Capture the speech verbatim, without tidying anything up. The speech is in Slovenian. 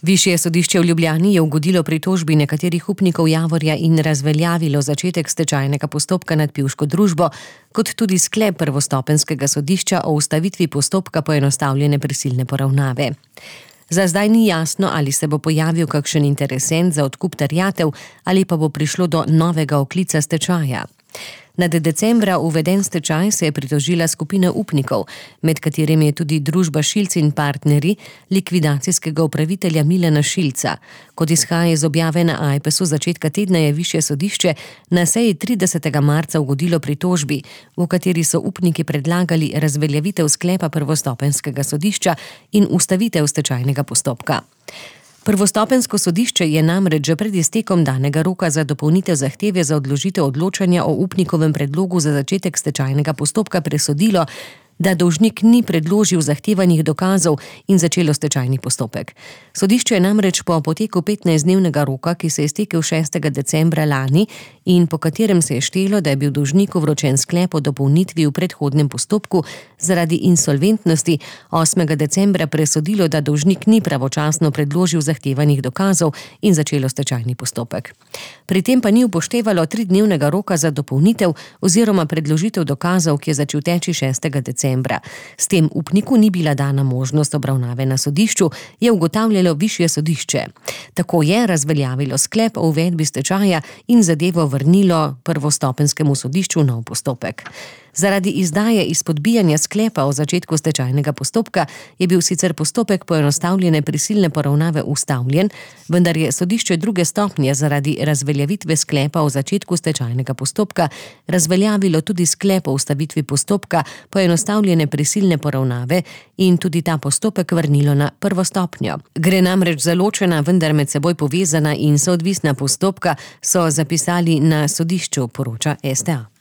Višje sodišče v Ljubljani je ugodilo pritožbi nekaterih upnikov Javorja in razveljavilo začetek stečajnega postopka nad pivško družbo, kot tudi sklep prvostopenjskega sodišča o ustavitvi postopka poenostavljene prisilne poravnave. Za zdaj ni jasno, ali se bo pojavil kakšen interesent za odkup terjatev ali pa bo prišlo do novega oklica stečaja. Nad decembra uveden stečaj se je pritožila skupina upnikov, med katerimi je tudi družba Šilc in partnerji likvidacijskega upravitelja Milana Šilca. Kot izhaja iz objave na Ajpesu začetka tedna, je višje sodišče na seji tridesetega marca ugodilo pritožbi, v kateri so upniki predlagali razveljavitev sklepa prvostopenjskega sodišča in ustavitev stečajnega postopka. Prvostopenjsko sodišče je namreč že pred iztekom danega roka za dopolnitev zahteve za odložitev odločanja o upnikovem predlogu za začetek stečajnega postopka presodilo, da dolžnik ni predložil zahtevanih dokazov in začelo stečajni postopek. Sodišče je namreč po poteku petnajstdnevnega roka, ki se je iztekel šestega decembra lani in po katerem se je štelo, da je bil dolžniku vročen sklep o dopolnitvi v predhodnem postopku zaradi insolventnosti, osmega decembra presodilo, da dolžnik ni pravočasno predložil zahtevanih dokazov in začelo stečajni postopek. Pri tem pa ni upoštevalo tridnevnega roka za dopolnitev oziroma predložitev dokazov, ki je začel teči šestega decembra. S tem upniku ni bila dana možnost obravnave na sodišču, je ugotavljalo višje sodišče. Tako je razveljavilo sklep o uvedbi stečaja in zadevo vrnilo prvostopenjskemu sodišču v nov postopek. Zaradi izdaje izpodbijanja sklepa o začetku stečajnega postopka je bil sicer postopek poenostavljene prisilne poravnave ustavljen, vendar je sodišče druge stopnje zaradi razveljavitve sklepa o začetku stečajnega postopka razveljavilo tudi sklep o ustavitvi postopka poenostavljene prisilne poravnave in tudi ta postopek vrnilo na prvo stopnjo. Gre namreč za ločena, vendar med seboj povezana in soodvisna postopka, so zapisali na sodišču, poroča S T A.